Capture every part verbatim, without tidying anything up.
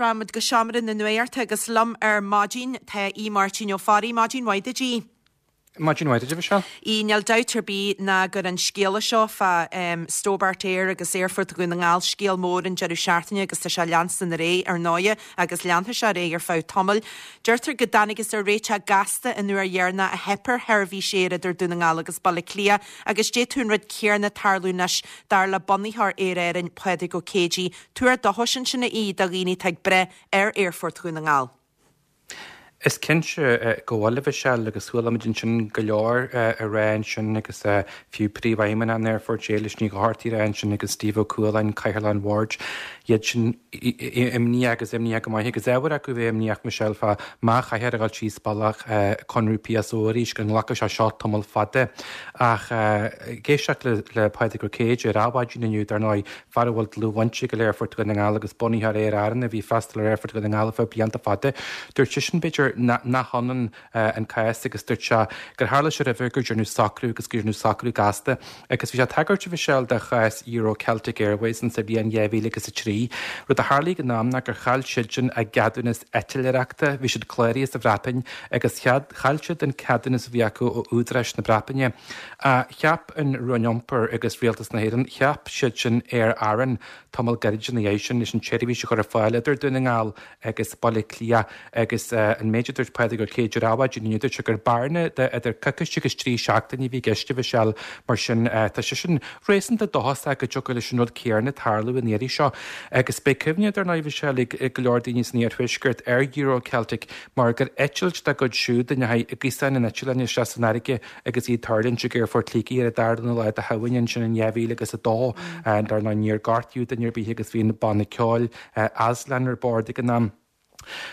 Rachaimid go seomra na nuachta agus liom ar maidin tá Aodh Máirtín Ó Fearraigh. Maidin mhaith duit, a Aoidh. Maidin mhaith duit, a Mhichelle. Níl dabht ar bith ná gur an scéala seo fá um, Stobart Air agus Aerfort Dhún na nGall scéal mór an deireadh seachtaine agus tá sé leanstan ar aghaidh ar ndóigh agus leanfaidh sé ar aghaidh ar feadh tamaill. Deirtear go dtángthas ar réiteach gasta an uair dheireanach a theip ar sheirbhís aeir idir Dún na nGall agus Baile Átha Cliath agus d'fhéadfadh an rud céanna tarlú anois dar le bunaitheoir Aer Éireann Pádraig Ó Céidigh. Tuar dóchais ansin a Aoidh do dhaoine atá ag breith ar Aerfort Dhún na nGall. Is cinnte go bhfuil a Mhichelle agus chuala muid ansin go leor a rá ansin agus fiú príomhfheidhmeannach an aerfoirt Éilis Ní Dhochartaigh a rá ansin agus Steve Ó Cualáin, Cathaoirleach an Bhoird, iad sin imníoch agus imníoch go maith agus ábhar acu bheith imníoch Michelle fá má chaithfear a dhul síos bealach conradh P S O arís go nglacfaidh sé seo tamall fada. Ach ag éisteacht le le Pádraig Ó Céidigh ar Adhmhaidin inniu, dar ndóigh, fear a bhfuil dlúthbhaint aige le Aerfort Dhún na nGall agus bunaitheoir Aer Arann a bhí freastal ar Aerfort Dhún na nGall ar feadh blianta fada, dúirt seisean b'fhéidir nach ionann an cás agus dúirt sé gur tharla sé roimhe gur déanadh socrú agus gur déanadh socrú gasta agus bhí sé ag tagairt a Mhichelle do chás Euro Celtic Airways sa bhliain dhá mhíle agus a trí. Rud a tharla ag an am ná gur chaill siadsan a gceadúnas eitleoireachta, bhí siad cláraithe sa Bhreatain agus chaill siad an ceadúnas a bhí acu ó údaráis na Breataine. Cheap an Roinn Iompair agus Rialtas na hÉireann, cheap siadsan Aer Arann tamall gairid ina dhiaidh sin leis an tseirbhís a chur ar fáil idir Dún na nGall agus Baile Átha Cliath agus an méid a dúirt Pádraig Ó Céidigh ar Adhmhaidin inniu, dúirt sé gur bearna de idir coicís agus trí seachtaine a bhí i gceist a Mhichelle, mar sin tá seisean réasúnta dóchasach go dtiocfadh leis an rud céanna tarlú an iarraidh seo. Agus beidh cuimhne dar ndóigh a Mhichelle ag go leor daoine san iarthuaisceart ar Euro Celtic mar gur eitilt dá gcuid siúd a ndeachaigh i gcuasán an eitleáin isteach san fharraige agus iad ag tuirlingt ag Aerfort Shligigh ar an darna lá de Shamhain ansin in dhá mhíle agus a dó. Dar ndóigh níor gortaíodh duine ar bith agus bhí an banna ceoil Aslan ar bord ag an am.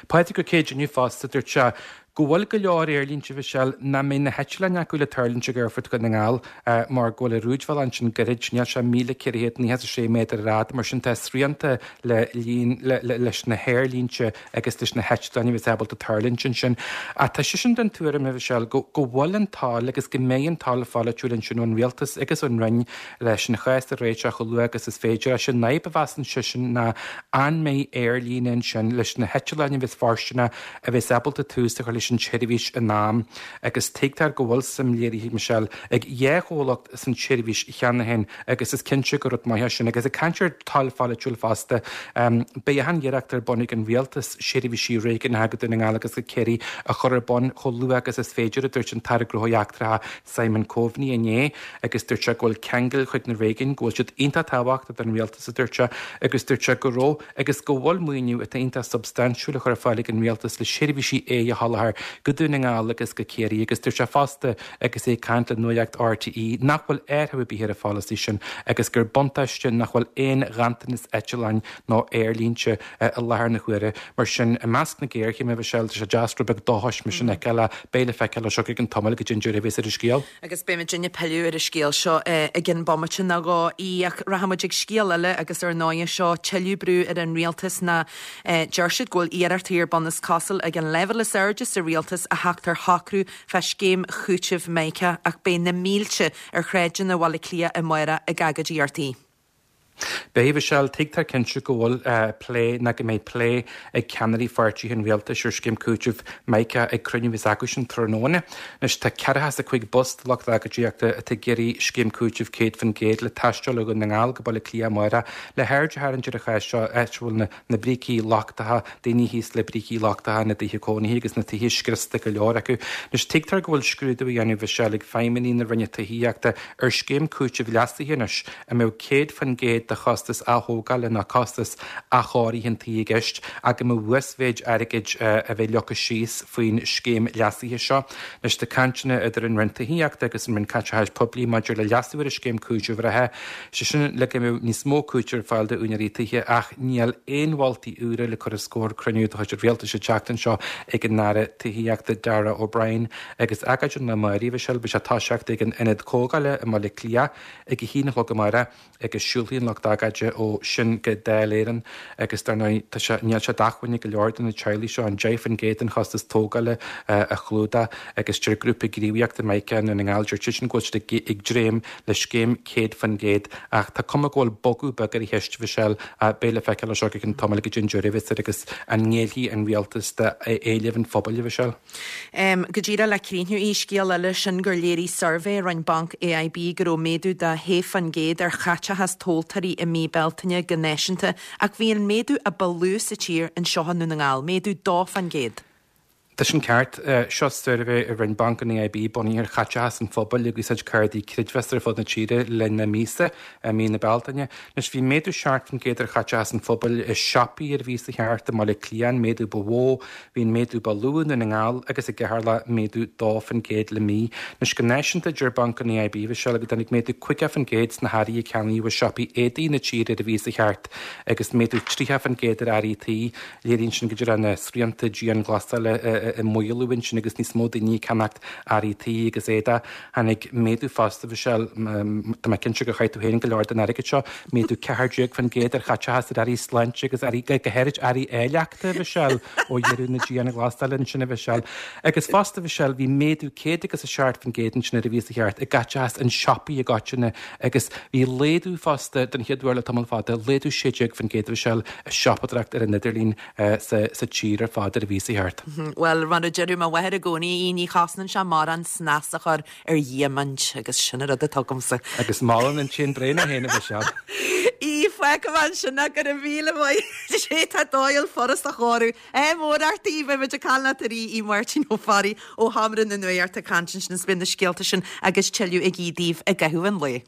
Pádraig Ó Céidigh inniu fosta, dúirt sé go bhfuil go leor aerlínte a Mhichelle nach mbeidh na heitleáin acu le tuirlingt ag Aerfort Dhún na nGall mar go bhfuil an rúidbhealach ansin gairid, níl sé míle ceithre chéad nócha is a sé méadar ar fhad, mar sin tá srianta le líon leis na haerlínte agus leis na heitleáin a bheas ábalta tuirlingt ansin. Ach tá seisean den tuairim, a Mhichelle, go go bhfuil an toil agus go mbeidh an toil pholaitiúil ansin ón Rialtas agus ón Roinn leis an chás a réiteach chomh luath agus is féidir. Is é an fhadhb a mheasann seisean ná an mbeidh aerlíne ansin leis na heitleáin a bheas fóirsteanach a bheas ábalta tús a chur leis an tseirbhís in am agus tuigtear go bhfuil suim léirithe, Michelle, ag dhá chomhlacht san tseirbhís cheana féin agus is cinnte gur rud maith é sin. Agus ag caint ar toil pholaitiúil fosta, beidh achan iarracht ar bun ag an Rialtas seirbhísí réigiúnacha go Dún na nGall agus go Ciarraí a chur ar bun chomh luath agus is féidir, a dúirt an tAire Gnóthaí Eachtracha Simon Coveney inné agus dúirt sé go bhfuil ceangail chuig na réigiúin, go bhfuil siad iontach tábhachtach don Rialtas, a dúirt sé, agus dúirt sé go raibh agus go bhfuil maoiniú atá iontach substaintiúil á chur ar fáil ag an Rialtas le seirbhísí aeir a sholáthar go Dún na nGall agus go Ciarraí agus dúirt sé fosta agus é ag caint le Nuacht R T E nach bhfuil athrú ar bith ar an pholasaí sin agus gur buntáiste nach bhfuil aon ghanntanas eitleáin nó aerlínte i láthair na huaire. Mar sin, i measc na géarchéime, a Mhichelle, tá sé deas rud beag dóchais mar sin a fheiceáil. Beidh le feiceáil ó seo go ceann tamaill goidé an deireadh a bheas ar an scéal. Agus beidh muidinne ag pilleadh ar an scéal seo i gcionn bomaite nó dhó ach rachaidh muid ag scéal eile agus ar ndóigh seo tuilleadh brú ar an rialtas ná deir siad go bhfuil iarrachtaí ar bun is cosúil ag an leibhéal is airde sa rialtas a theacht ar shocrú fá scéim chúitimh Mica ach beidh na mílte ar shráideanna Bhaile Átha Cliath amárach ag agóidíocht. Beidh, a Mhichelle, tuigtear cinnte go bhfuil plé ná go mbeidh plé ag ceannairí pháirtithe an rialtais ar scéim cúitimh Mica ag cruinniú a bheas acusan tráthnóna. Anois tá ceathracha is a cúig bus de lucht agóidíochta atá ag iarraidh scéim cúitimh céad faoin gcéad le taisteal ó Dhún na nGall go Baile Átha Cliath amárach le haird a tharraingt ar an chás seo, áit a bhfuil na na brící lochtacha, daoine thíos le brící lochtacha ina dtithe cónaithe agus na tithe scriosta go leor acu. Anois tuigtear go bhfuil scrúdú á dhéanamh a Mhichelle ag feidhmeannaigh na Roinne Tithíochta ar scéim cúitimh leasaithe anois a mbeadh céad faoin gcéad de chostas athógála ná costas athchóirithe an tí i gceist ach go mbeadh uasmhéid airgid a bheith leagtha síos faoin scéim leasaithe seo. Anois tá cainteanna idir an Roinn Tithíochta agus an Roinn Caiteachais Poiblí maidir le leasú ar an scéim cúitimh reatha, sé sin le go mbeadh níos mó cúitimh ar fáil d'úinéirí tithe ach níl aon mholtaí úra le cur os comhair cruinniú de chuid an Rialtais an tseachtain seo ag an Aire Tithíochta Darragh O'Brien agus agóid an lae amárach, a Mhichelle, beidh sé ag toiseacht ag an Ionad Comhdhála i mBaile Átha Cliath ag a haon a chlog amárach agus siúlfaidh an lucht lucht agóide ó sin go Dáil Éireann agus dar ndóigh tá sé, níl sé d'acmhainn ag go leor de na teaghlaigh seo an deich faoin gcéad den chostas tógála a chlúdach agus deir grúpa gníomhaíochta Mica i nDún na nGall, deir siadsan go bhfuil siad ag dréim le scéim céad faoin gcéad ach tá cuma go bhfuil bogadh beag ar an cheist, Mhichelle, beidh le feiceáil as seo go ceann tamaill goidé an deireadh a bheas air agus an ngéillfidh an rialtas d'éilimh an phobail, a Mhichelle. Go díreach le críochnú í, scéal eile sin gur léirigh suirbhé a rinne Banc AIB go raibh méadú de shé faoin gcéad ar chaiteachas tomhaltóirí i mí Bealtaine go náisiúnta ach bhí an méadú a ba lú sa tír anseo i nDún na nGall, méadú dó faoin gcéad. Tá sin ceart. Seo suirbhé a rinne Banc an AIB bunaithe ar chaiteachas an phobail ag úsáid cártaí creidmheasa ar fud na tíre le linn na míosa, mí na Bealtaine. Anois bhí méadú seacht faoin gcéad ar chaiteachas an phobail i siopaí ar an mhíosa cheart i mBaile Átha Cliath, an méadú ba mhó. Bhí an méadú ba lú i nDún na nGall agus i gCeatharlach, méadú dó faoin gcéad le mí. Anois go náisiúnta, deir Banc an AIB, a Mhichelle, go dtáinig méadú caoga faoin gcéad sna hearraí a ceannaíodh i siopaí éadaí na tíre ar an mhíosa cheart agus méadú tríocha faoin gcéad ar earraí tí. Léiríonn sin go raibh na srianta dianghlasála i maolú ansin agus níos mó daoine ag ceannacht earraí tí agus éadaí. Tháinig méadú fosta, Mhichelle, tá mé cinnte gur chaith tú féin go leor den airgead seo, méadú ceathair déag faoin gcéad ar chaiteachas ar earraí sláinte agus earraí, go háirid earraí áilleachta, Mhichelle, ó dheireadh na dianghlasála ansin, a Mhichelle. Agus fosta, Mhichelle, bhí méadú céad agus a seacht faoin gcéad ansin ar an mhíosa cheart i gcaiteachas in siopaí i gcoitinne agus bhí laghdú fosta den chéad uair le tamall fada, laghdú sé déag faoin gcéad, a Mhichelle, i siopadóireacht ar an idirlíon sa tír ar fad ar an mhíosa cheart. Bhuel, mar a deireadh mo mháthair i gcónaí, í, ní chosnaíonn sé mórán snas a chur ar dhiamaint agus sin an rud atá agamsa. Agus molann an tséan bréan é féin, a Mhichelle. Í, fágfaidh mé ansin é, go raibh míle maith. Sé tá dóigh furast a chóiriú. Ádh mór ort, í, beidh muid ag caint leat arís, í Máirtín Ó Fearraigh ó Sheomra na Nuachta ag caint ansin is beidh na scéalta sin agus tuilleadh ag Aodh daoibh i gcaitheamh an lae.